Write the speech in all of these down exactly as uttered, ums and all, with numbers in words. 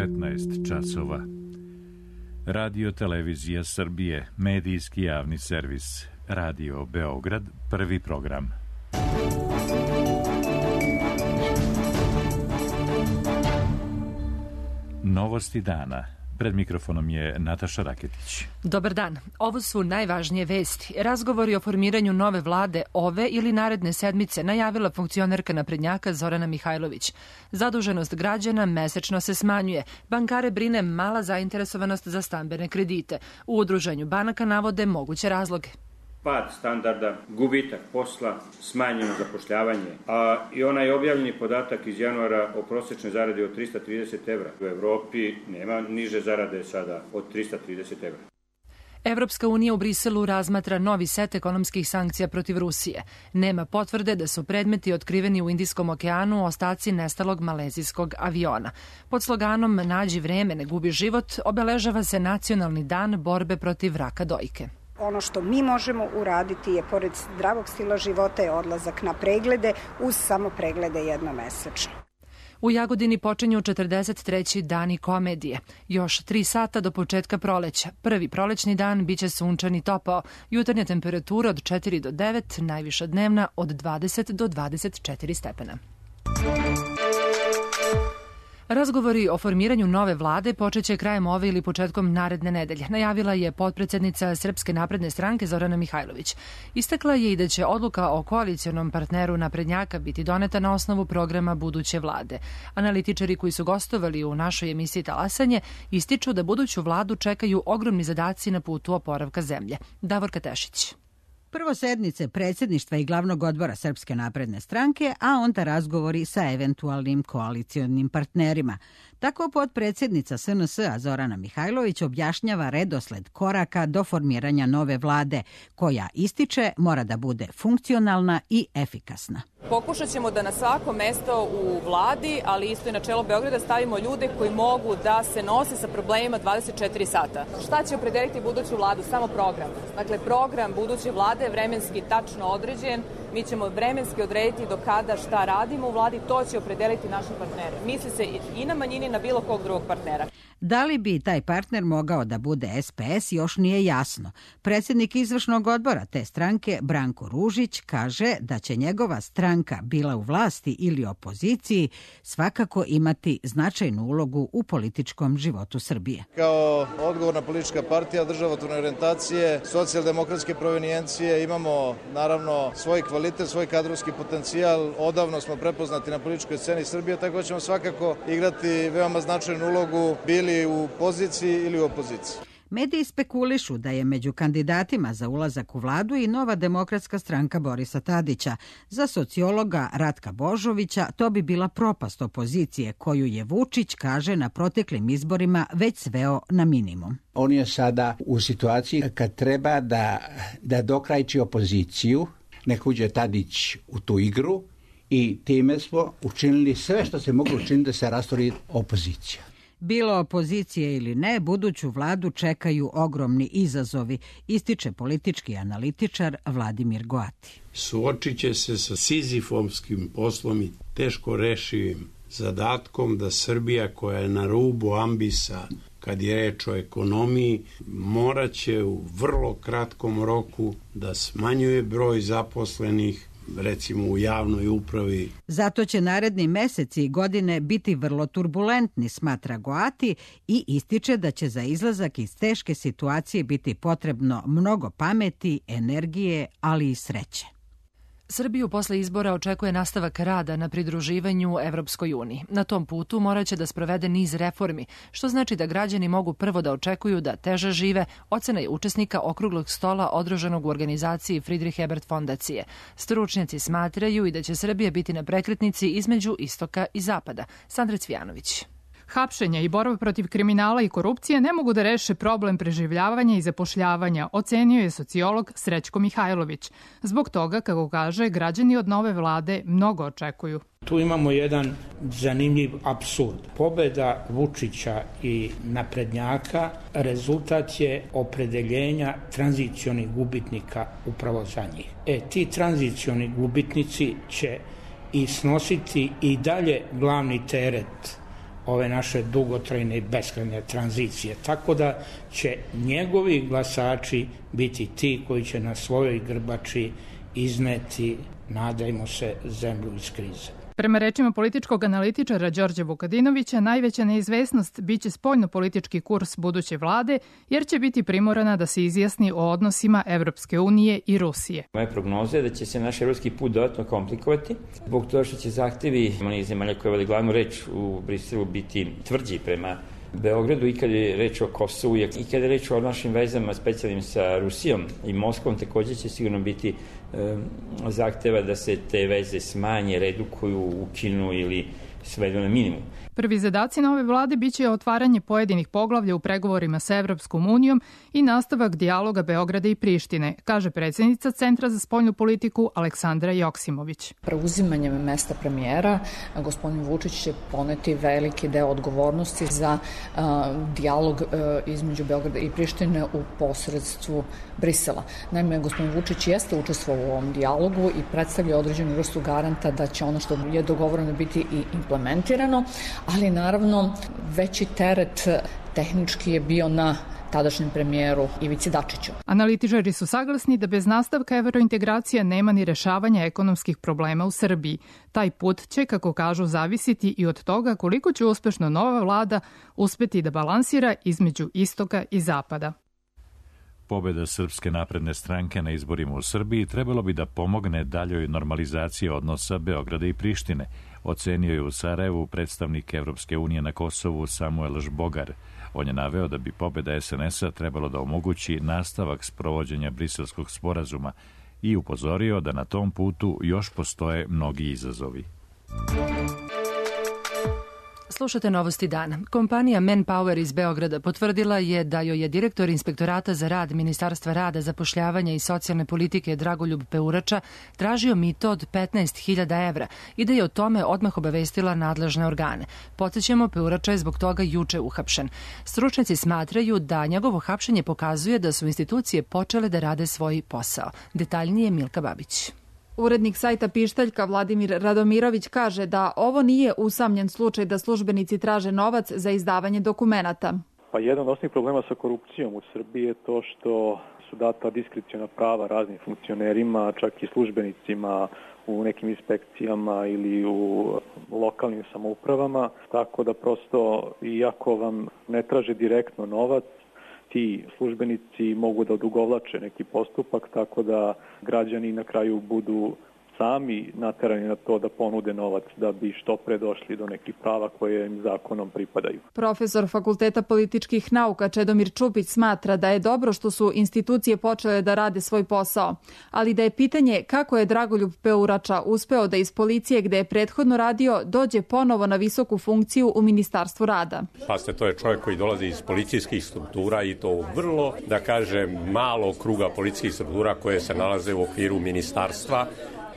petnaest časova. Radio Televizija Srbije, medijski javni servis, Radio Beograd, prvi program. Novosti dana. Pred mikrofonom je Nataša Raketić. Dobar dan. Ovo su najvažnije vesti. Razgovori o formiranju nove vlade ove ili naredne sedmice najavila funkcionerka naprednjaka Zorana Mihajlović. Zaduženost građana mesečno se smanjuje. Bankare brine mala zainteresovanost za stambene kredite. U udruženju banaka navode moguće razloge. Pad standarda, gubitak posla, smanjeno zapošljavanje, a i onaj objavljeni podatak iz januara o prosječnoj zaradi od trista trideset evra. U Evropi nema niže zarade sada od trista trideset evra. Evropska unija u Briselu razmatra novi set ekonomskih sankcija protiv Rusije. Nema potvrde da su predmeti otkriveni u Indijskom okeanu ostaci nestalog malezijskog aviona. Pod sloganom Nađi vreme, ne gubi život, obeležava se Nacionalni dan borbe protiv raka dojke. Ono što mi možemo uraditi je, pored zdravog stila života, je odlazak na preglede, uz samo preglede jednomesečno. U Jagodini počinju četrdeset treći dani komedije. Još tri sata do početka proleća. Prvi prolećni dan biće sunčan i topao. Jutarnja temperatura od četiri do devet, najviša dnevna od dvadeset do dvadeset četiri stepena. Razgovori o formiranju nove vlade počeće krajem ove ili početkom naredne nedelje, najavila je potpredsednica Srpske napredne stranke Zorana Mihajlović. Istakla je i da će odluka o koalicionom partneru naprednjaka biti doneta na osnovu programa buduće vlade. Analitičari koji su gostovali u našoj emisiji Talasanje ističu da buduću vladu čekaju ogromni zadaci na putu oporavka zemlje. Davorka Tešić. Prvo sednice predsjedništva i glavnog odbora Srpske napredne stranke, a onda razgovori sa eventualnim koalicionim partnerima. Tako potpredsjednica S N S-a Zorana Mihajlović objašnjava redosled koraka do formiranja nove vlade, koja ističe mora da bude funkcionalna i efikasna. Pokušat ćemo da na svako mesto u vladi, ali isto i na čelo Beograda, stavimo ljude koji mogu da se nose sa problemima dvadeset četiri sata. Šta će opredeliti buduću vladu? Samo program. Dakle, program buduće vlade je vremenski tačno određen. Mi ćemo vremenski odrediti do kada šta radimo u vladi, to će opredeliti naši partneri. Misli se i na manjini, na bilo kog drugog partnera. Da li bi taj partner mogao da bude S P S još nije jasno. Predsjednik izvršnog odbora te stranke, Branko Ružić, kaže da će njegova stranka, bila u vlasti ili opoziciji, svakako imati značajnu ulogu u političkom životu Srbije. Kao odgovorna politička partija državotvorne orijentacije, socijaldemokratske provenijencije, imamo naravno svoj kvalitet, svoj kadrovski potencijal. Odavno smo prepoznati na političkoj sceni Srbije, tako ćemo svakako igrati veoma značajnu ulogu, bili u poziciji ili u opoziciji. Mediji spekulišu da je među kandidatima za ulazak u vladu i Nova demokratska stranka Borisa Tadića. Za sociologa Ratka Božovića to bi bila propast opozicije koju je Vučić, kaže, na proteklim izborima već sveo na minimum. On je sada u situaciji kad treba da, da dokrajči opoziciju, nek uđe Tadić u tu igru i time smo učinili sve što se moglo učiniti da se rastori opozicija. Bilo opozicije ili ne, buduću vladu čekaju ogromni izazovi, ističe politički analitičar Vladimir Goati. Suočit će se sa sizifovskim poslom i teško rešivim zadatkom da Srbija, koja je na rubu ambisa kad je reč o ekonomiji, morat će u vrlo kratkom roku da smanjuje broj zaposlenih, recimo u javnoj upravi. Zato će naredni meseci i godine biti vrlo turbulentni, smatra Goati, i ističe da će za izlazak iz teške situacije biti potrebno mnogo pameti, energije, ali i sreće. Srbiju posle izbora očekuje nastavak rada na pridruživanju Evropskoj uniji. Na tom putu morat će da sprovede niz reformi, što znači da građani mogu prvo da očekuju da teže žive, ocena je učesnika okruglog stola održanog u organizaciji Friedrich Ebert fondacije. Stručnjaci smatraju i da će Srbija biti na prekretnici između istoka i zapada. Sandra Cvijanović. Hapšenja i borba protiv kriminala i korupcije ne mogu da reše problem preživljavanja i zapošljavanja, ocenio je sociolog Srećko Mihajlović. Zbog toga, kako kaže, građani od nove vlade mnogo očekuju. Tu imamo jedan zanimljiv apsurd. Pobeda Vučića i naprednjaka rezultat je opredeljenja tranzicionih gubitnika upravo za njih. E, ti tranzicioni gubitnici će i snositi i dalje glavni teret ove naše dugotrajne i beskrajne tranzicije. Tako da će njegovi glasači biti ti koji će na svojoj grbači izneti, nadajmo se, zemlju iz krize. Prema rečima političkog analitičara Đorđa Vukadinovića, najveća neizvesnost biće spoljno-politički kurs buduće vlade, jer će biti primorana da se izjasni o odnosima Evropske unije i Rusije. Moja prognoza je da će se naš evropski put dodatno komplikovati, zbog toga što će zahtevi onih zemalja koje vode glavnu reč u Briselu biti tvrđi prema Beogradu i kada je reč o Kosovu i kada je reč o našim vezama specijalnim sa Rusijom i Moskvom, također će sigurno biti e, zahteva da se te veze smanje, redukuju, ukinu ili svedu na minimum. Prvi zadaci nove vlade biće otvaranje pojedinih poglavlja u pregovorima sa Evropskom unijom i nastavak dijaloga Beograda i Prištine, kaže predsjednica Centra za spoljnu politiku Aleksandra Joksimović. Preuzimanjem mesta premijera, gospodin Vučić će poneti veliki deo odgovornosti za uh, dijalog uh, između Beograda i Prištine u posredstvu Brisela. Naime, gospodin Vučić jeste učestvovao u ovom dijalogu i predstavlja određenu vrstu garanta da će ono što je dogovoreno biti i implementirano, ali naravno veći teret tehnički je bio na tadašnjem premijeru Ivici Dačiću. Analitičari su saglasni da bez nastavka evrointegracija nema ni rešavanja ekonomskih problema u Srbiji. Taj put će, kako kažu, zavisiti i od toga koliko će uspešno nova vlada uspeti da balansira između istoka i zapada. Pobeda Srpske napredne stranke na izborima u Srbiji trebalo bi da pomogne daljoj normalizaciji odnosa Beograda i Prištine, ocenio je u Sarajevu predstavnik Evropske unije na Kosovu Samuel Žbogar. On je naveo da bi pobeda es en es a trebalo da omogući nastavak sprovođenja Briselskog sporazuma i upozorio da na tom putu još postoje mnogi izazovi. Slušate novosti dana. Kompanija Manpower iz Beograda potvrdila je da joj je direktor Inspektorata za rad Ministarstva rada, zapošljavanja i socijalne politike Dragoljub Peurača tražio mito od petnaest hiljada evra i da je o tome odmah obavestila nadležne organe. Podsećamo, Peurača je zbog toga juče uhapšen. Stručnjaci smatraju da njegovo hapšenje pokazuje da su institucije počele da rade svoj posao. Detaljnije Milka Babić. Urednik sajta Pištaljka Vladimir Radomirović kaže da ovo nije usamljen slučaj da službenici traže novac za izdavanje dokumenata. Pa jedan od osnovnih problema sa korupcijom u Srbiji je to što su data diskreciona prava raznim funkcionerima, čak i službenicima u nekim inspekcijama ili u lokalnim samoupravama, tako da prosto iako vam ne traže direktno novac, ti službenici mogu da odugovlače neki postupak, tako da građani na kraju budu sami naterani na to da ponude novac da bi što pre došli do nekih prava koje im zakonom pripadaju. Profesor Fakulteta političkih nauka Čedomir Čupić smatra da je dobro što su institucije počele da rade svoj posao, ali da je pitanje kako je Dragoljub Peurača uspeo da iz policije gde je prethodno radio dođe ponovo na visoku funkciju u Ministarstvu rada. Paste, to je čovjek koji dolazi iz policijskih struktura i to vrlo, da kažem, malo kruga policijskih struktura koje se nalaze u okviru ministarstva,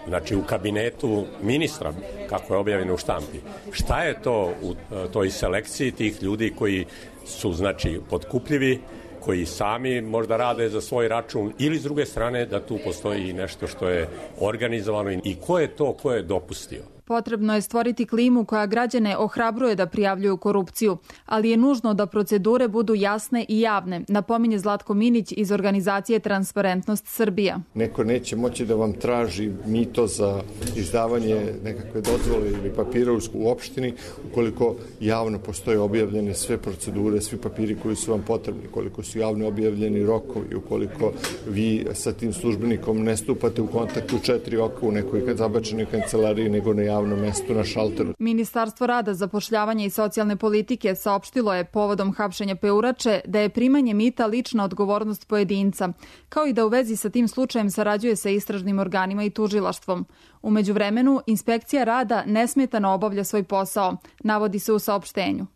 znači u kabinetu ministra, kako je objavljeno u štampi. Šta je to u toj selekciji tih ljudi koji su, znači, potkupljivi, koji sami možda rade za svoj račun, ili s druge strane da tu postoji nešto što je organizovano i ko je to ko je dopustio? Potrebno je stvoriti klimu koja građane ohrabruje da prijavljuju korupciju, ali je nužno da procedure budu jasne i javne, napominje Zlatko Minić iz organizacije Transparentnost Srbija. Neko neće moći da vam traži mito za izdavanje nekakve dozvole ili papira u opštini ukoliko javno postoje objavljene sve procedure, svi papiri koji su vam potrebni, koliko su javno objavljeni rokovi, ukoliko vi sa tim službenikom ne stupate u kontakt u četiri oka u nekoj zabačenoj kancelariji nego na javnom mestu na šalteru. Ministarstvo rada, zapošljavanja i socijalne politike saopštilo je povodom hapšenja Peurače da je primanje mita lična odgovornost pojedinca, kao i da u vezi sa tim slučajem sarađuje sa istražnim organima i tužilaštvom. U međuvremenu, inspekcija rada nesmetano obavlja svoj posao, navodi se u saopštenju.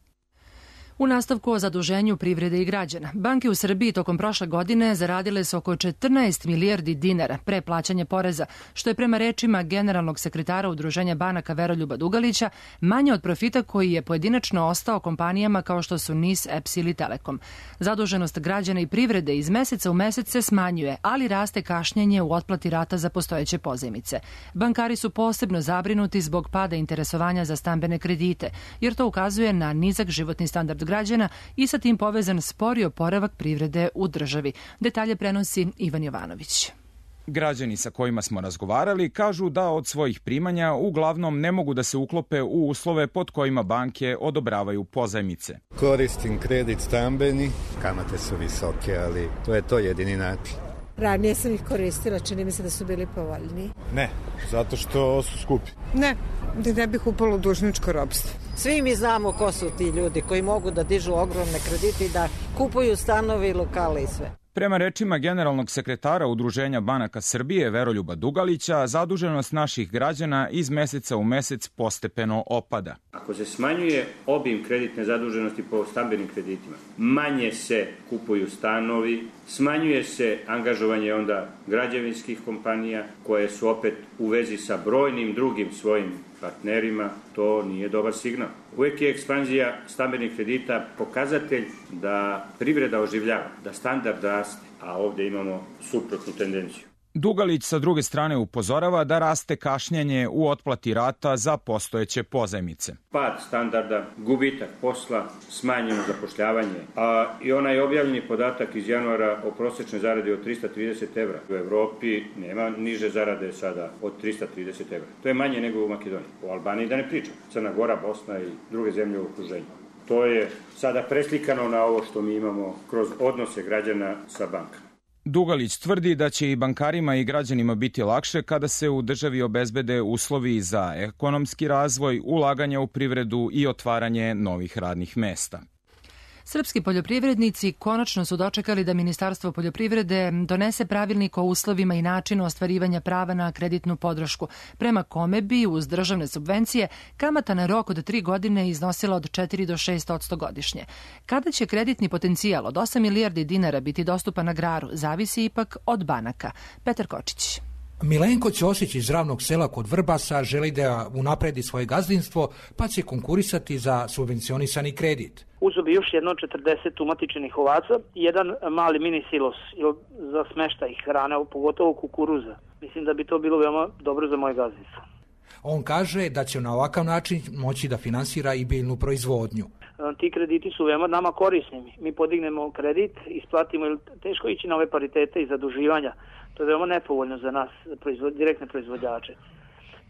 U nastavku o zaduženju privrede i građana, banke u Srbiji tokom prošle godine zaradile su oko četrnaest milijardi dinara pre plaćanja poreza, što je prema rečima generalnog sekretara Udruženja banaka Veroljuba Dugalića manje od profita koji je pojedinačno ostao kompanijama kao što su N I S, E P S ili Telekom. Zaduženost građana i privrede iz meseca u mesec se smanjuje, ali raste kašnjenje u otplati rata za postojeće pozajmice. Bankari su posebno zabrinuti zbog pada interesovanja za stambene kredite, jer to ukazuje na nizak životni standard građana i sa tim povezan spori oporavak privrede u državi. Detalje prenosi Ivan Jovanović. Građani sa kojima smo razgovarali kažu da od svojih primanja uglavnom ne mogu da se uklope u uslove pod kojima banke odobravaju pozajmice. Koristim kredit stambeni, kamate su visoke, ali to je to jedini način. Ranije sam ih koristila, čini mi se da su bili povoljni. Ne, zato što su skupi. Ne, da ne bih upalo u dužničko ropstvo. Svi mi znamo ko su ti ljudi koji mogu da dižu ogromne kredite i da kupuju stanovi, lokale i sve. Prema rečima generalnog sekretara Udruženja banaka Srbije Veroljuba Dugalića, zaduženost naših građana iz meseca u mesec postepeno opada. Ako se smanjuje obim kreditne zaduženosti po stambenim kreditima, manje se kupuju stanovi, smanjuje se angažovanje onda građevinskih kompanija koje su opet u vezi sa brojnim drugim svojim partnerima, to nije dobar signal. Uvijek je ekspanzija stambenih kredita pokazatelj da privreda oživljava, da standard raste, a ovdje imamo suprotnu tendenciju. Dugalić sa druge strane upozorava da raste kašnjenje u otplati rata za postojeće pozajmice. Pad standarda, gubitak posla, smanjeno zapošljavanje, a i onaj objavljeni podatak iz januara o prosječnoj zaradi od trista trideset evra. U Evropi nema niže zarade sada od trista trideset evra. To je manje nego u Makedoniji. U Albaniji da ne pričam. Crna Gora, Bosna i druge zemlje u okruženju. To je sada preslikano na ovo što mi imamo kroz odnose građana sa bankama. Dugalić tvrdi da će i bankarima i građanima biti lakše kada se u državi obezbede uslovi za ekonomski razvoj, ulaganje u privredu i otvaranje novih radnih mesta. Srpski poljoprivrednici konačno su dočekali da Ministarstvo poljoprivrede donese pravilnik o uslovima i načinu ostvarivanja prava na kreditnu podršku, prema kome bi uz državne subvencije kamata na rok od tri godine iznosila od četiri do šest odsto godišnje. Kada će kreditni potencijal od osam milijardi dinara biti dostupan agraru, zavisi ipak od banaka. Petar Kočić. Milenko Ćosić iz Ravnog sela kod Vrbasa želi da unapredi svoje gazdinstvo, pa će konkurisati za subvencionisani kredit. Uzeo bi još jedno četrdeset umatičenih ovaca i jedan mali mini silos za smeštaj hrane, pogotovo kukuruza. Mislim da bi to bilo veoma dobro za moje gazdinstvo. On kaže da će na ovakav način moći da finansira i biljnu proizvodnju. Ti krediti su veoma nama korisni. Mi podignemo kredit, isplatimo, jer teško ići na ove paritete i zaduživanja. To je veoma nepovoljno za nas, proizvod, direktne proizvođače.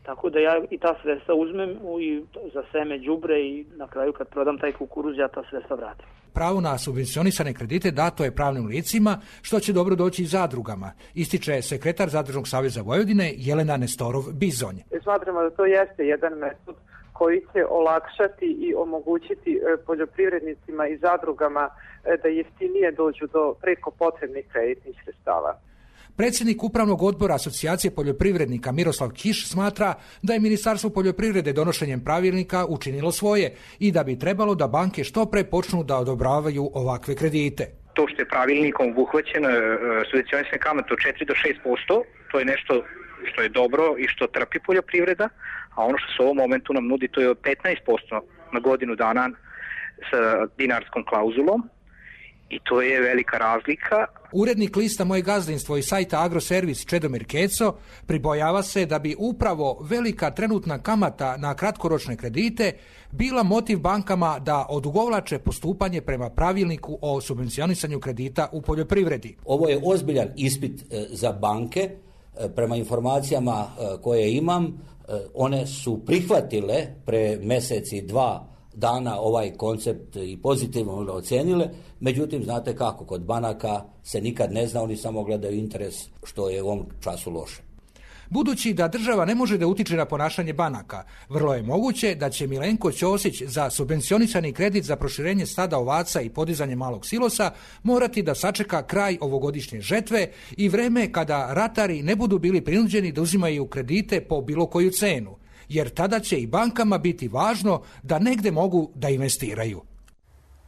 Tako da ja i ta sredstva uzmem i za seme, đubre i na kraju kad prodam taj kukuruz ja ta sredstva vratim. Pravo na subvencionisane kredite dato je pravnim licima, što će dobro doći i zadrugama, ističe sekretar Zadružnog saveza Vojvodine Jelena Nestorov-Bizonj. Smatramo da to jeste jedan metod koji će olakšati i omogućiti poljoprivrednicima i zadrugama da jeftinije dođu do preko potrebnih kreditnih sredstava. Predsjednik Upravnog odbora Asocijacije poljoprivrednika Miroslav Kiš smatra da je Ministarstvo poljoprivrede donošenjem pravilnika učinilo svoje i da bi trebalo da banke što pre počnu da odobravaju ovakve kredite. To što je pravilnikom obuhvaćeno subvencionisane kamate od četiri do šest posto, to je nešto što je dobro i što trpi poljoprivreda, a ono što se u ovom momentu nam nudi to je od petnaest posto na godinu dana sa dinarskom klauzulom. I to je velika razlika. Urednik lista Moje gazdinstvo i sajta Agroservis Čedomir Keco pribojava se da bi upravo velika trenutna kamata na kratkoročne kredite bila motiv bankama da odugovlače postupanje prema pravilniku o subvencionisanju kredita u poljoprivredi. Ovo je ozbiljan ispit za banke. Prema informacijama koje imam, one su prihvatile pre meseci dva dana ovaj koncept i pozitivno ocenile, međutim, znate kako, kod banaka se nikad ne zna, oni samo gledaju interes, što je u ovom času loše. Budući da država ne može da utiče na ponašanje banaka, vrlo je moguće da će Milenko Ćosić za subvencionisani kredit za proširenje stada ovaca i podizanje malog silosa morati da sačeka kraj ovogodišnje žetve i vreme kada ratari ne budu bili prinuđeni da uzimaju kredite po bilo koju cenu, jer tada će i bankama biti važno da negde mogu da investiraju.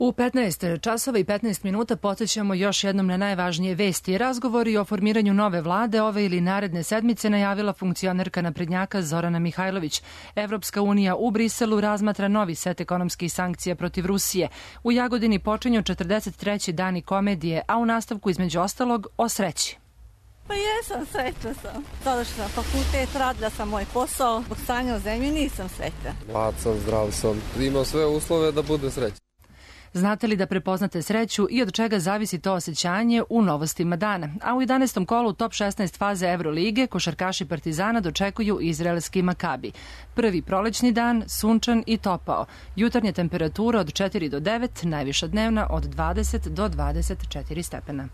U petnaest časova i petnaest minuta podsjećamo još jednom na najvažnije vesti. Razgovori o formiranju nove vlade ove ili naredne sedmice najavila funkcionerka naprednjaka Zorana Mihajlović. Evropska unija u Briselu razmatra novi set ekonomskih sankcija protiv Rusije. U Jagodini počinju četrdeset treći dani komedije, a u nastavku između ostalog o sreći. Pa jesam, srećna sam. Sada što sam fakultet, radila sam moj posao, zbog stanja u zemlji nisam srećna. Mlad sam, zdrav sam, imam sve uslove da budem srećan. Znate li da prepoznate sreću i od čega zavisi to osjećanje u novostima dana? A u jedanaestom kolu top šesnaest faze Evrolige košarkaši Partizana dočekuju izraelski Makabi. Prvi prolećni dan, sunčan i topao. Jutarnja temperatura od četiri do devet, najviša dnevna od dvadeset do dvadeset četiri stepena.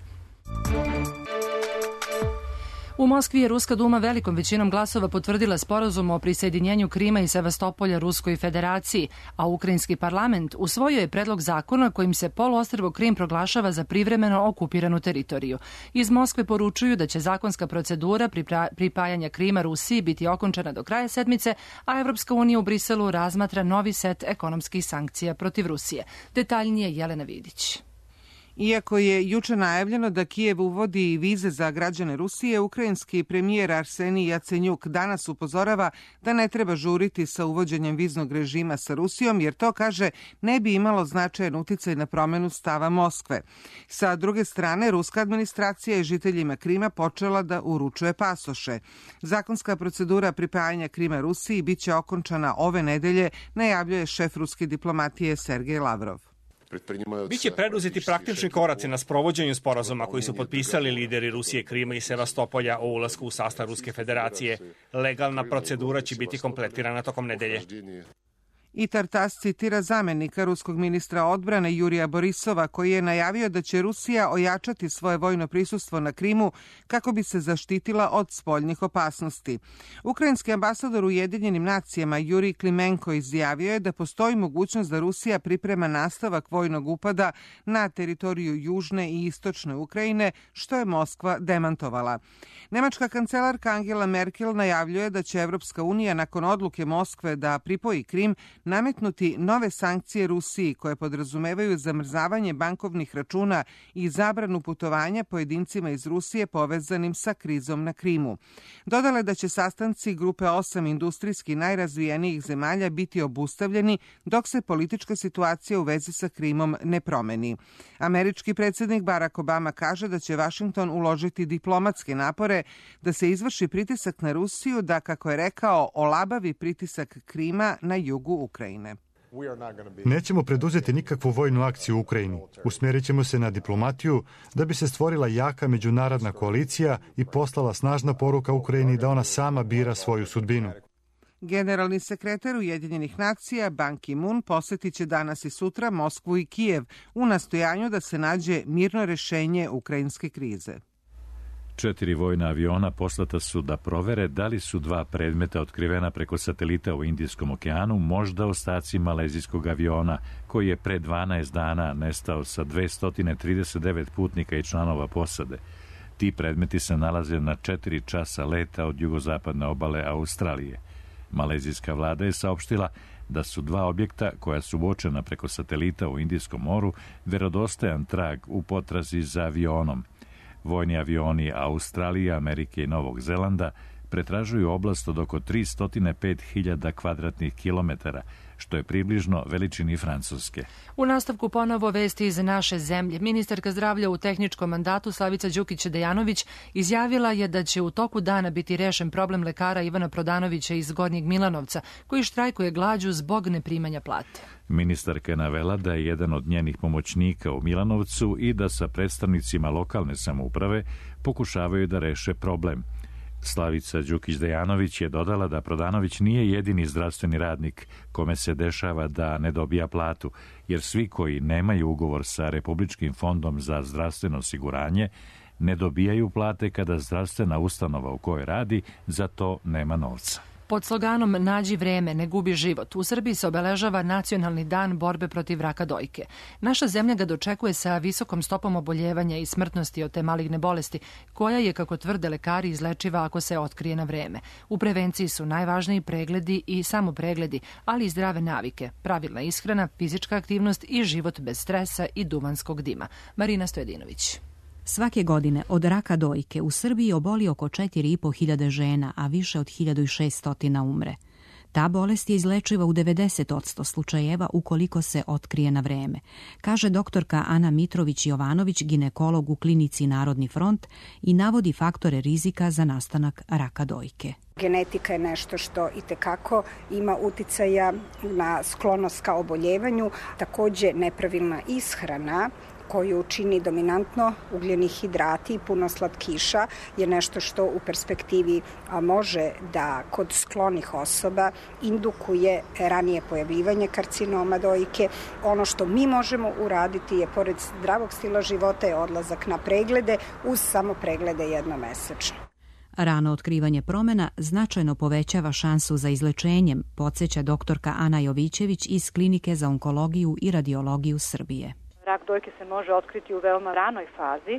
U Moskvi je Ruska duma velikom većinom glasova potvrdila sporazum o prisajedinjenju Krima i Sevastopolja Ruskoj federaciji, a ukrajinski parlament usvojio je predlog zakona kojim se poluostrvo Krim proglašava za privremeno okupiranu teritoriju. Iz Moskve poručuju da će zakonska procedura pripajanja Krima Rusiji biti okončana do kraja sedmice, a Evropska unija u Briselu razmatra novi set ekonomskih sankcija protiv Rusije. Detaljnije Jelena Vidić. Iako je juče najavljeno da Kijev uvodi vize za građane Rusije, ukrajinski premijer Arsenij Jacenjuk danas upozorava da ne treba žuriti sa uvođenjem viznog režima sa Rusijom, jer to, kaže, ne bi imalo značajan uticaj na promenu stava Moskve. Sa druge strane, ruska administracija je žiteljima Krima počela da uručuje pasoše. Zakonska procedura pripajanja Krima Rusiji biće okončana ove nedelje, najavljuje šef ruske diplomatije Sergej Lavrov. Biće preduzeti praktični koraci na sprovođenju sporazuma koji su potpisali lideri Rusije, Krima i Sevastopolja o ulasku u sastav Ruske federacije. Legalna procedura će biti kompletirana tokom nedelje. I Tartas citira zamenika ruskog ministra odbrane Jurija Borisova, koji je najavio da će Rusija ojačati svoje vojno prisustvo na Krimu kako bi se zaštitila od spoljnih opasnosti. Ukrajinski ambasador u Ujedinjenim nacijama Jurij Klimenko izjavio je da postoji mogućnost da Rusija priprema nastavak vojnog upada na teritoriju južne i istočne Ukrajine, što je Moskva demantovala. Nemačka kancelarka Angela Merkel najavljuje da će Evropska unija nakon odluke Moskve da pripoji Krim nametnuti nove sankcije Rusiji koje podrazumevaju zamrzavanje bankovnih računa i zabranu putovanja pojedincima iz Rusije povezanim sa krizom na Krimu. Dodala je da će sastanci grupe osam industrijski najrazvijenijih zemalja biti obustavljeni dok se politička situacija u vezi sa Krimom ne promeni. Američki predsjednik Barack Obama kaže da će Vašington uložiti diplomatske napore da se izvrši pritisak na Rusiju da, kako je rekao, olabavi pritisak Krima na jugu Ukrajine. Nećemo preduzeti nikakvu vojnu akciju u Ukrajini. Usmjerit ćemo se na diplomatiju da bi se stvorila jaka međunarodna koalicija i poslala snažna poruka Ukrajini da ona sama bira svoju sudbinu. Generalni sekretar Ujedinjenih nacija Ban Ki-moon posjetit će danas i sutra Moskvu i Kijev u nastojanju da se nađe mirno rješenje ukrajinske krize. Četiri vojna aviona poslata su da provere da li su dva predmeta otkrivena preko satelita u Indijskom okeanu možda ostaci malezijskog aviona koji je pre dvanaest dana nestao sa dvesta trideset devet putnika i članova posade. Ti predmeti se nalaze na četiri časa leta od jugozapadne obale Australije. Malezijska vlada je saopštila da su dva objekta koja su uočena preko satelita u Indijskom moru verodostojan trag u potrazi za avionom. Vojni avioni Australije, Amerike i Novog Zelanda pretražuju oblast od oko tristo pet hiljada kvadratnih kilometara, što je približno veličini Francuske. U nastavku ponovo vesti iz naše zemlje. Ministarka zdravlja u tehničkom mandatu Slavica Đukić-Dejanović izjavila je da će u toku dana biti rešen problem lekara Ivana Prodanovića iz Gornjeg Milanovca, koji štrajkuje glađu zbog neprimanja plate. Ministarka je navela da je jedan od njenih pomoćnika u Milanovcu i da sa predstavnicima lokalne samouprave pokušavaju da reše problem. Slavica Đukić-Dejanović je dodala da Prodanović nije jedini zdravstveni radnik kome se dešava da ne dobija platu, jer svi koji nemaju ugovor sa Republičkim fondom za zdravstveno osiguranje ne dobijaju plate kada zdravstvena ustanova u kojoj radi za to nema novca. Pod sloganom Nađi vreme, ne gubi život, u Srbiji se obeležava Nacionalni dan borbe protiv raka dojke. Naša zemlja ga dočekuje sa visokom stopom oboljevanja i smrtnosti od te maligne bolesti, koja je, kako tvrde lekari, izlečiva ako se otkrije na vreme. U prevenciji su najvažniji pregledi i samopregledi, ali i zdrave navike, pravilna ishrana, fizička aktivnost i život bez stresa i duvanskog dima. Marina Stojedinović. Svake godine od raka dojke u Srbiji oboli oko četiri i po hiljade žena, a više od hiljadu šessto umre. Ta bolest je izlečiva u devedeset posto slučajeva ukoliko se otkrije na vreme, kaže doktorka Ana Mitrović-Jovanović, ginekolog u klinici Narodni front, i navodi faktore rizika za nastanak raka dojke. Genetika je nešto što itekako ima uticaja na sklonost ka oboljevanju, takođe nepravilna ishrana koju čini dominantno ugljeni hidrati i puno slatkiša je nešto što u perspektivi može da kod sklonih osoba indukuje ranije pojavljivanje karcinoma dojke. Ono što mi možemo uraditi je, pored zdravog stila života, je odlazak na preglede uz samo preglede jednomesečno. Rano otkrivanje promena značajno povećava šansu za izlečenjem, podsjeća doktorka Ana Jovićević iz Klinike za onkologiju i radiologiju Srbije. Rak dojke se može otkriti u veoma ranoj fazi,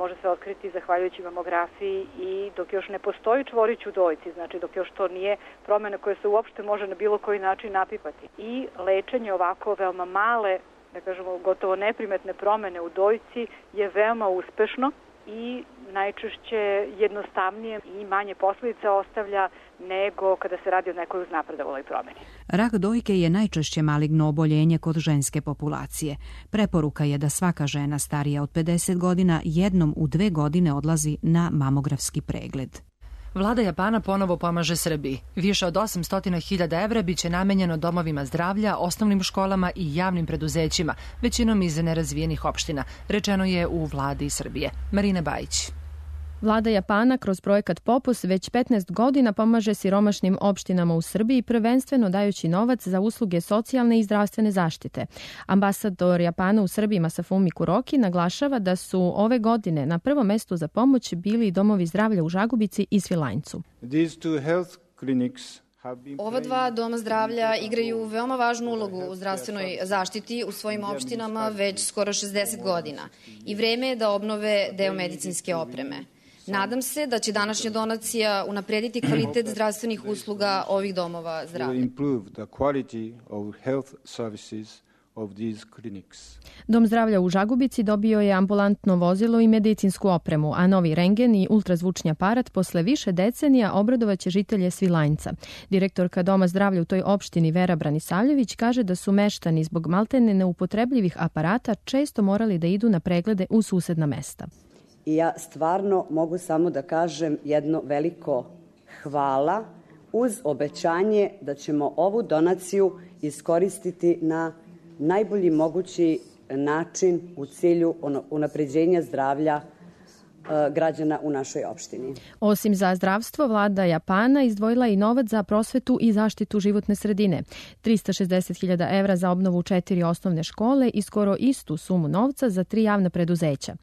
može se otkriti zahvaljujući mamografiji i dok još ne postoji čvorić u dojci, znači dok još to nije promjena koja se uopšte može na bilo koji način napipati. I lečenje ovako veoma male, da kažemo gotovo neprimetne promjene u dojci je veoma uspešno i najčešće jednostavnije i manje posljedica ostavlja nego kada se radi o nekoj uznapredovaloj promjeni. Rak dojke je najčešće maligno oboljenje kod ženske populacije. Preporuka je da svaka žena starija od pedeset godina jednom u dve godine odlazi na mamografski pregled. Vlada Japana ponovo pomaže Srbiji. Više od osamsto hiljada evra biće namenjeno domovima zdravlja, osnovnim školama i javnim preduzećima, većinom iz nerazvijenih opština, rečeno je u vladi Srbije. Marina Bajić. Vlada Japana kroz projekat Popus već petnaest godina pomaže siromašnim opštinama u Srbiji, prvenstveno dajući novac za usluge socijalne i zdravstvene zaštite. Ambasador Japana u Srbiji Masafumi Kuroki naglašava da su ove godine na prvom mestu za pomoć bili domovi zdravlja u Žagubici i Svilajncu. Ova dva doma zdravlja igraju veoma važnu ulogu u zdravstvenoj zaštiti u svojim opštinama već skoro šezdeset godina i vreme je da obnove deo medicinske opreme. Nadam se da će današnja donacija unaprediti kvalitet zdravstvenih usluga ovih domova zdravlja. Dom zdravlja u Žagubici dobio je ambulantno vozilo i medicinsku opremu, a novi rengen i ultrazvučni aparat posle više decenija obradovaće žitelje Svilajnca. Direktorka Doma zdravlja u toj opštini Vera Branisavljević kaže da su meštani zbog maltene neupotrebljivih aparata često morali da idu na preglede u susedna mesta. I ja stvarno mogu samo da kažem jedno veliko hvala uz obećanje da ćemo ovu donaciju iskoristiti na najbolji mogući način u cilju unapređenja zdravlja građana u našoj opštini. Osim za zdravstvo, vlada Japana izdvojila i novac za prosvetu i zaštitu životne sredine. trista šezdeset hiljada evra za obnovu četiri osnovne škole i skoro istu sumu novca za tri javna preduzeća.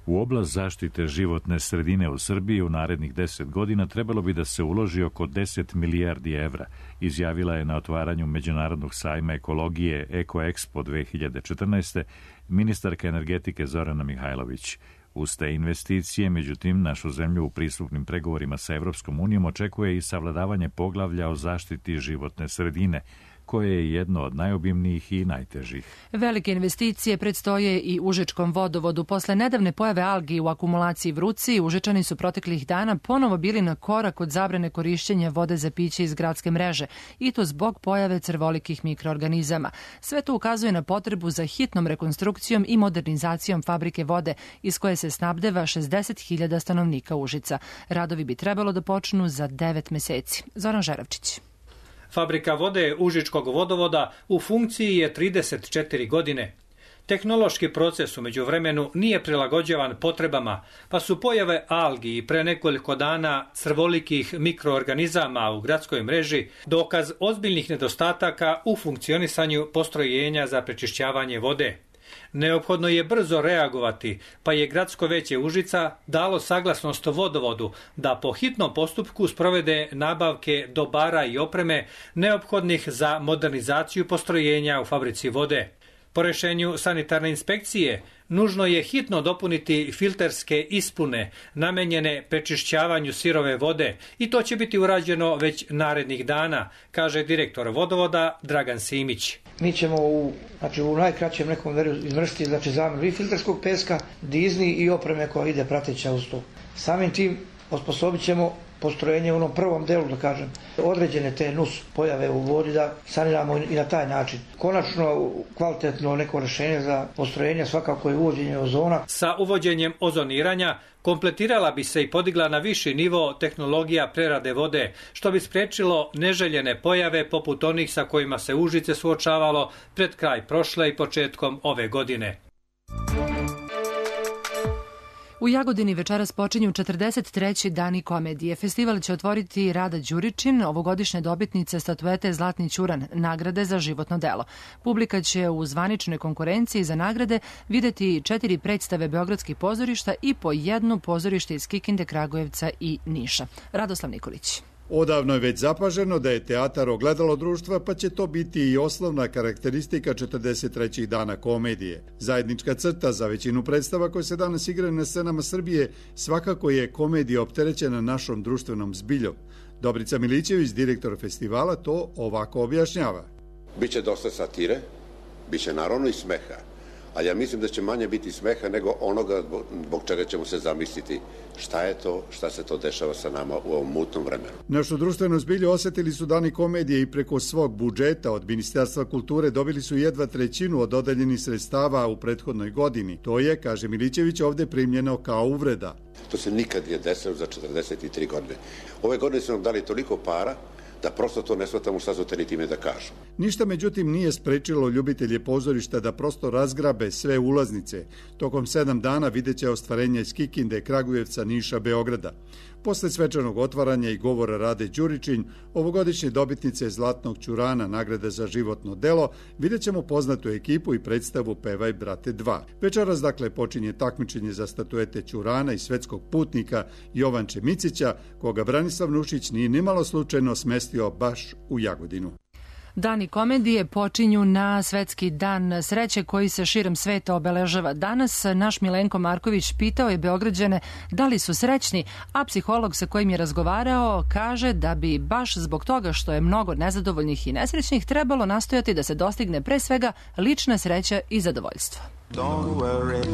U oblast zaštite životne sredine u Srbiji u narednih deset godina trebalo bi da se uloži oko deset milijardi evra, izjavila je na otvaranju Međunarodnog sajma ekologije Eko Expo dve hiljade četrnaeste. ministarka energetike Zorana Mihajlović. Uz te investicije, međutim, našu zemlju u pristupnim pregovorima sa Evropskom unijom očekuje i savladavanje poglavlja o zaštiti životne sredine, koje je jedno od najobimnijih i najtežih. Velike investicije predstoje i Užičkom vodovodu. Posle nedavne pojave algi u akumulaciji Vruci, Užičani su proteklih dana ponovo bili na korak od zabrane korišćenja vode za piće iz gradske mreže, i to zbog pojave crvolikih mikroorganizama. Sve to ukazuje na potrebu za hitnom rekonstrukcijom i modernizacijom fabrike vode, iz koje se snabdeva šezdeset hiljada stanovnika Užica. Radovi bi trebalo da počnu za devet meseci. Zoran Žeravčić. Fabrika vode Užičkog vodovoda u funkciji je trideset četiri godine. Tehnološki proces u međuvremenu nije prilagođavan potrebama, pa su pojave algi i pre nekoliko dana crvolikih mikroorganizama u gradskoj mreži dokaz ozbiljnih nedostataka u funkcionisanju postrojenja za prečišćavanje vode. Neophodno je brzo reagovati, pa je Gradsko veće Užica dalo saglasnost vodovodu da po hitnom postupku sprovede nabavke dobara i opreme neophodnih za modernizaciju postrojenja u fabrici vode. Po rešenju sanitarne inspekcije, nužno je hitno dopuniti filterske ispune namenjene prečišćavanju sirove vode i to će biti urađeno već narednih dana, kaže direktor vodovoda Dragan Simić. Mi ćemo u, znači, u najkraćem nekom vremenu izvršiti znači, zamjenu i filterskog peska, dizni i opreme koja ide prateća uz to. Samim tim osposobit ćemo postrojenje u onom prvom delu, da kažem, određene te nus pojave u vodi da saniramo i na taj način. Konačno, kvalitetno neko rešenje za postrojenje svakako je uvođenje ozona. Sa uvođenjem ozoniranja kompletirala bi se i podigla na viši nivo tehnologija prerade vode, što bi sprečilo neželjene pojave poput onih sa kojima se Užice suočavalo pred kraj prošle i početkom ove godine. U Jagodini večeras počinju četrdeset treći dani komedije. Festival će otvoriti Rada Đuričin, ovogodišnje dobitnice statuete Zlatni ćuran, nagrade za životno delo. Publika će u zvaničnoj konkurenciji za nagrade videti četiri predstave beogradskih pozorišta i po jednu pozorište iz Kikinde, Kragujevca i Niša. Radoslav Nikolić. Odavno je već zapaženo da je teatar ogledalo društva, pa će to biti i osnovna karakteristika četrdeset trećih dana komedije. Zajednička crta za većinu predstava koje se danas igraju na scenama Srbije svakako je komedija opterećena našom društvenom zbiljom. Dobrica Milićević, direktor festivala, to ovako objašnjava. Biće dosta satire, biće naravno i smeha, ali ja mislim da će manje biti smeha nego onoga zbog čega ćemo se zamisliti šta je to, šta se to dešava sa nama u ovom mutnom vremenu. Našu društvenu zbilju osetili su dani komedije i preko svog budžeta od Ministarstva kulture dobili su jedva trećinu od dodeljenih sredstava u prethodnoj godini. To je, kaže Milićević, ovde primljeno kao uvreda. To se nikad nije desilo za četrdeset tri godine. Ove godine su nam dali toliko para da prosto to ne shvatamo šta su teni time da kažu. Ništa međutim nije sprečilo ljubitelje pozorišta da prosto razgrabe sve ulaznice. Tokom sedam dana vidjet će ostvarenja iz Kikinde, Kragujevca, Niša, Beograda. Posle svečanog otvaranja i govora Rade Đuričin, ovogodišnje dobitnice Zlatnog ćurana, nagrade za životno delo, vidjet ćemo poznatu ekipu i predstavu Pevaj brate dva. Večeras dakle počinje takmičenje za statuete ćurana i svetskog putnika Jovanče Micića, koga Branislav Nušić nije nimalo slučajno smestio baš u Jagodinu. Dani komedije počinju na Svetski dan sreće koji se širom sveta obeležava. Danas naš Milenko Marković pitao je Beograđane da li su srećni, a psiholog sa kojim je razgovarao kaže da bi baš zbog toga što je mnogo nezadovoljnih i nesrećnih trebalo nastojati da se dostigne pre svega lična sreća i zadovoljstvo. Don't worry.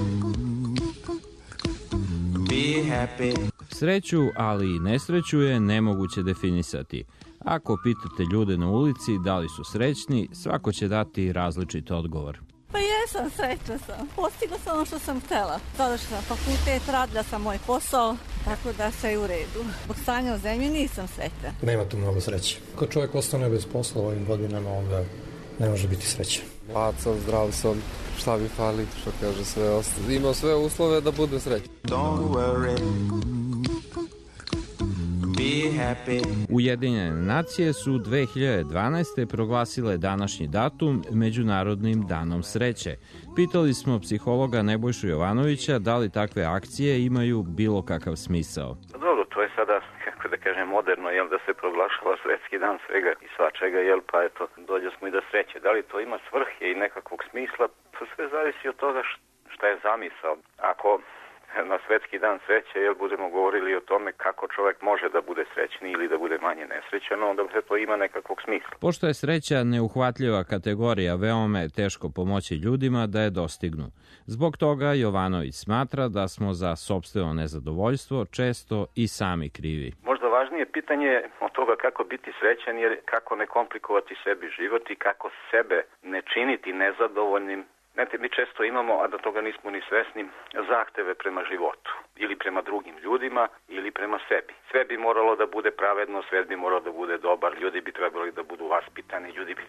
Be happy. Sreću, ali i nesreću je nemoguće definisati. Ako pitate ljude na ulici da li su srećni, svako će dati različit odgovor. Pa jesam, srećna sam. Postigla sam ono što sam htela. Završila fakultet, radila sam moj posao, tako da sve je u redu. Zbog stanja u zemlji nisam sretna. Nema tu mnogo sreće. Kad čovjek ostane bez posla ovim godinama, onda ne može biti srećan. Mlad sam, zdrav sam, šta mi fali, što kaže sve ostalo. Imam sve uslove da bude srećan. Don't worry. Ujedinjene nacije su dve hiljade dvanaeste. proglasile današnji datum Međunarodnim danom sreće. Pitali smo psihologa Nebojšu Jovanovića da li takve akcije imaju bilo kakav smisao. Dobro, to je sada, kako da kažem, moderno, jel, da se proglašava svetski dan svega i svačega, jel, pa eto, dođe smo i do sreće. Da li to ima svrhe i nekakvog smisla, pa sve zavisi od toga šta je zamisao. Ako na svetski dan sreće, jel budemo govorili o tome kako čovjek može da bude srećni ili da bude manje nesrećan, onda se to ima nekakvog smisla. Pošto je sreća neuhvatljiva kategorija, veoma je teško pomoći ljudima da je dostignu. Zbog toga Jovanović smatra da smo za sopstveno nezadovoljstvo često i sami krivi. Možda važnije pitanje od toga kako biti srećan je kako ne komplikovati sebi život i kako sebe ne činiti nezadovoljnim. Znate, mi često imamo, a da toga nismo ni svesni, zahteve prema životu ili prema drugim ljudima ili prema sebi. Sve bi moralo da bude pravedno, sve bi moralo da bude dobar, ljudi bi trebali da budu vaspitani, ljudi bi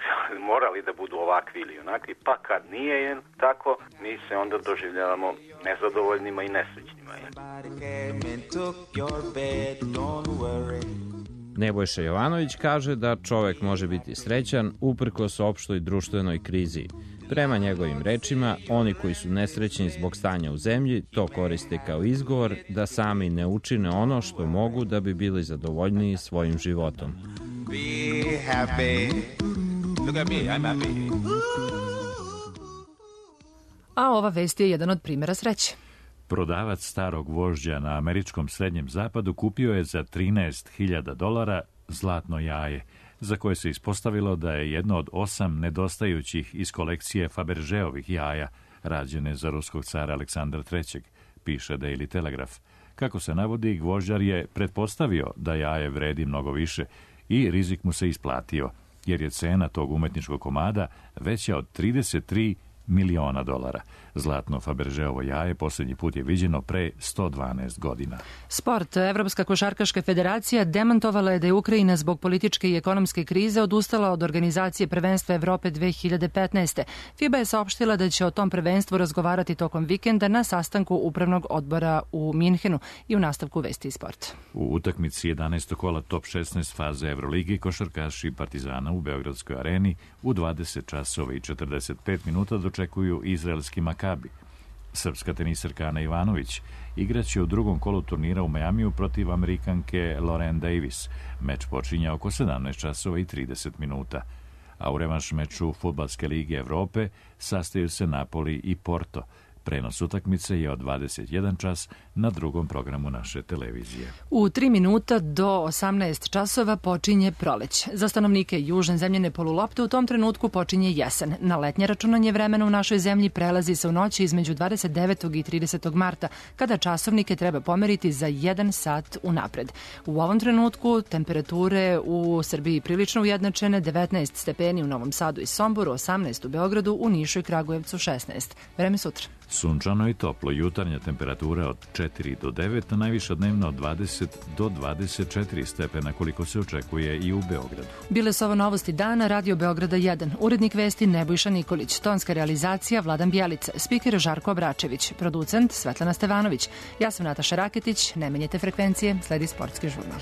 morali da budu ovakvi ili onakvi, pa kad nije tako, mi se onda doživljavamo nezadovoljnima i nesrećnima. Nebojša Jovanović kaže da čovek može biti srećan uprkos opštoj društvenoj krizi. Prema njegovim rečima, oni koji su nesrećni zbog stanja u zemlji to koriste kao izgovor da sami ne učine ono što mogu da bi bili zadovoljniji svojim životom. Be happy. Look at me, I'm happy. A ova vest je jedan od primjera sreće. Prodavac starog vožđa na američkom srednjem zapadu kupio je za trinaest hiljada dolara zlatno jaje, za koje se ispostavilo da je jedno od osam nedostajućih iz kolekcije Fabergeovih jaja, rađene za ruskog cara Aleksandra trećeg, piše Daily Telegraph. Kako se navodi, gvožđar je pretpostavio da jaje vredi mnogo više i rizik mu se isplatio, jer je cena tog umetničkog komada veća od trideset tri miliona dolara. Zlatno Fabergeovo jaje posljednji put je viđeno pre sto dvanaest godina. Sport. Evropska košarkaška federacija demantovala je da je Ukrajina zbog političke i ekonomske krize odustala od organizacije prvenstva Evrope dve hiljade petnaeste. FIBA je saopštila da će o tom prvenstvu razgovarati tokom vikenda na sastanku upravnog odbora u Minhenu i u nastavku vesti i sport. U utakmici jedanaestog kola top šesnaest faze Evroligi košarkaši Partizana u Beogradskoj areni u dvadeset časova i četrdeset pet minuta dočekuju izraelski Makabi. Srpska tenisarka Ana Ivanović igraće u drugom kolu turnira u Majamiju protiv Amerikanke Lauren Davis. Meč počinje oko sedamnaest časova i trideset minuta. A u revanš meču Fudbalske lige Evrope sastaju se Napoli i Porto. Prenos utakmice je od dvadeset jedan čas na drugom programu naše televizije. U tri minuta do osamnaest časova počinje proleć. Za stanovnike južne zemljene polulopte u tom trenutku počinje jesen. Na letnje računanje vremena u našoj zemlji prelazi se u noći između dvadeset devetog i tridesetog marta, kada časovnike treba pomeriti za jedan sat unapred. U ovom trenutku temperature u Srbiji prilično ujednačene, devetnaest stepeni u Novom Sadu i Somboru, osamnaest u Beogradu, u Nišu i Kragujevcu šesnaest. Vreme sutra. Sunčano i toplo, jutarnja temperatura od četiri do devet, a najviša dnevna od dvadeset do dvadeset četiri stepena, koliko se očekuje i u Beogradu. Bile su ovo novosti dana, Radio Beograda jedan. Urednik vesti Nebojša Nikolić, tonska realizacija Vladan Bjelica, spiker Žarko Obračević, producent Svetlana Stevanović. Ja sam Nataša Raketić, ne menjete frekvencije, sledi sportski žurnal.